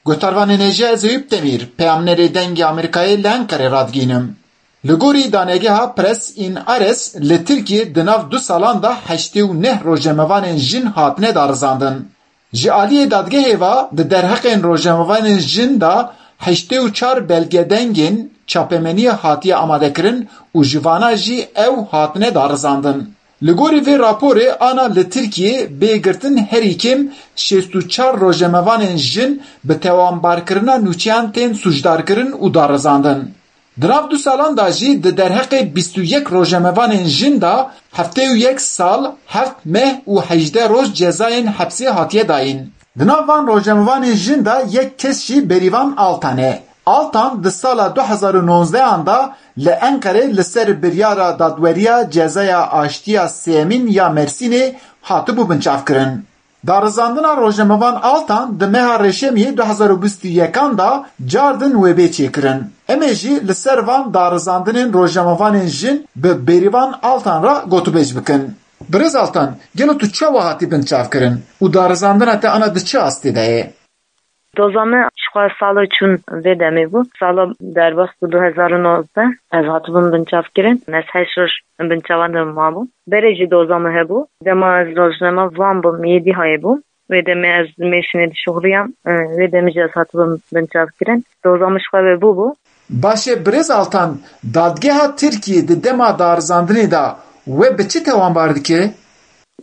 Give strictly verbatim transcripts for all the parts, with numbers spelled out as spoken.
Guhdarvanên hêja, ez Eyûp Demîr, peyamnerê Dengê Amerîkayê li Enqerê radigihînim. Li gorî danegeha Press in Ares, li Tirkiyê di nav du salan de heştê û neh rojnamevanên jin hatine darizandin. Ji aliyê dadgehê ve di derheqên rojnamevanên jin de heştê û çar belgedengên çapemeniyê hatiye amadekirin û ji vana jî ew hatine darizandin. Li gorî vê raporê, ana li Tirkiyê bê girtin herî kêm şêst û çar rojnamevanên jin bi tewanbarkirina nûçeyan tên sûcdarkirin û darizandin. Di nav du salan de jî di derheqê bîst û yek rojnamevanên jin de heftê û yek sal, heft meh û hejdeh roj cezayên hepsê hatiye dayîn. Di nav van rojnamevanên jin de yek kes jî Bêrîvan Altan e. Altan di sala du hezar û nozdehan de li Enqerê li ser biryara dadweriya cezaya aştiya sêyemîn ya Mersînê hatibû binçavkirin. Darizandina rojnamevan Altan di meha Reşemiyê du hezar û bîst û yekan de cardin wê bê çêkirin. Em ê jî li ser van darizandinên rojnamevanên jin bi Bêrîvan Altan re gotûbêj bikin. Birêz Altan, gelo tu çawa hatî binçavkirin û darizandina te ana di çi astê de ye? Doza me jixwe sala çûn vê demê bû. Sala derbas bû du hezar û nozdeh. Ez hatibûm binçavkirin. Ez heşt roj binçavan de mabûm. Berê jî doza me hebû. Dema ez rojname van bûm, yê dî hayê bûm. Wê demê ez Mêrsînê dişuxuliyam. E, wê demê jî ez hatibûm binçavkirin. Doza me jixwe vebû bû. Baş e, Birêz Altan, dadgeha Tirkiyê di dema darizandinê de we bi çi tewanbar dike?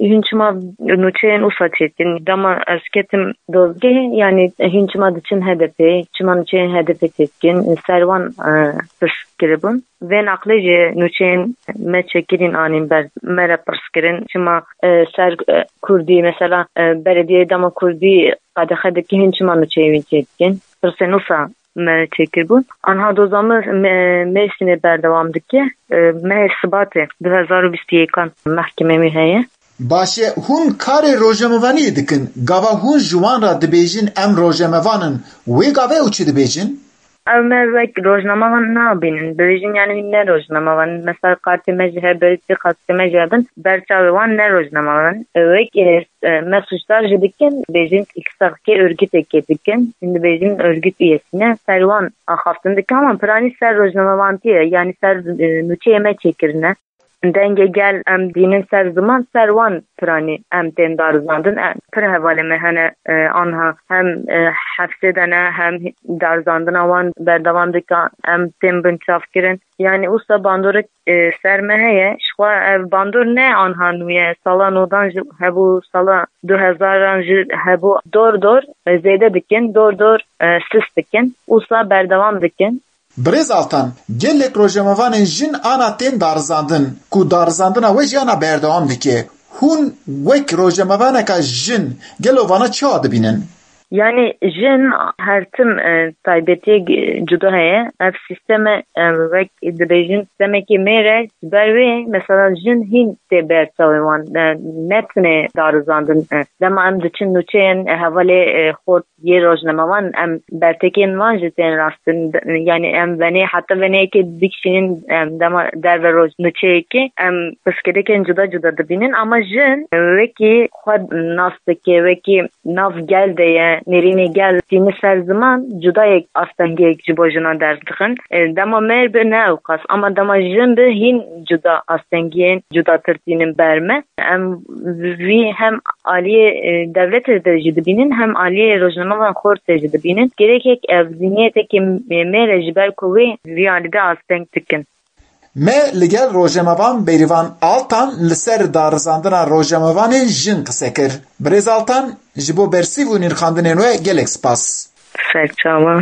Hîn çima nûçeyên wisa çêdikin? Dema ez ketim dozgehê, yanî hîn çima diçin H D P, çima nûçeyên H D P çêdikin? Ser wan, e, pirs kiribûn. Vê naqlê jî nûçeyên me çêkirîn anîn ber me re pirs kirin. Çima, e, ser, e, Kurdî, mesela, e, belediyeyê dema Kurdî qedexe dike, hîn çima nûçeyê wî çêdikin? Pirsên wisa me çêkiribûn. Anha doza me, me, Mêrsînê berdewam dike. E, mehê Sibatê du hezar û bîst û yekan mehkemê wî heye. Baş e, hûn karê rojnamevaniyê dikin. Gava hûn ji wan re dibêjin, "Em rojnamevan in", wê gavê ew çi dibêjin? Ew me wek rojnamevan nabînin. Dibêjin, yanî, ne rojnamevan in. Mesela, kartê me jî hebin, kartê me jî hebin, ber çavê wan ne rojnamevan in. Wek, e, e, me sûcdar jî dikin, dibêjin, îkisaqkê örgütekê dikin. Hîn dibêjin örgüt üyesî ne. Ser wan axaftin dikin, ama piranî ser rojnamevantî ye. Yanî ser, e, nûçeyê me çêkirine. Dengê gel em dînin ser ziman, ser wan piranî em tên darizandin. E, pir hevalê me hene, e, anha hem, e, hefsê de ne, hem darizandina wan berdewam dike, em tên binçavkirin. Yanî wisa bandorek, e, ser me heye. Jixwe ev bandor ne anha nû ye. Sala nodan jî hebû, sala du hezaran jî hebû. Dor dor, e, zêde dikin, dor dor, e, sist dikin. Wisa berdewam dikin. Birêz Altan, gelek rojnamevanên jin ana tên darizandin, ku darizandina we jî ana berdewam dike. Hûn wek rojnamevaneka jin, gelo vana çawa dibînin? Yanî jin her tim, e, taybetiyek, e, cuda heye. Ev sîsteme, e, wek dibêjin sîstemekî mêr e, ji ber wê mesela jin hîn tê ber çavê wan, e, netine darizandin. E, dema em diçin nûçeyên, e, hevalê, e, xort yê rojnamevan, em bertekên wan jî tên rastin. Yanî em venê, heta veneyekê dikişînin, em dema derve roj nûçeyekê, em pirsgirêkên cuda cuda dibînin. Ama jin wekî xwe nas dike, wekî nav gel de ye, nêrînê gel tîni ser ziman, cudayek astengiyek ji bo jinan derdixin. E, dema mêr bi ne ew qas, ama dema jin bi hîn cuda astengiyên cudatir tînin ber me. Em vî hem aliyê, e, dewletê de jî dibînin, hem aliyê rojnamevan xortê jî dibînin. Gerek ev zîniyetekê mêr e, ji ber ku wê vî alî de asteng dikin. Me li gel rojnamevan Bêrîvan Altan li ser darizandina rojnamevanê jin qise kir. Birêz Altan, ji bo bersîv û nirxandinên we gelek spas. Serçawa.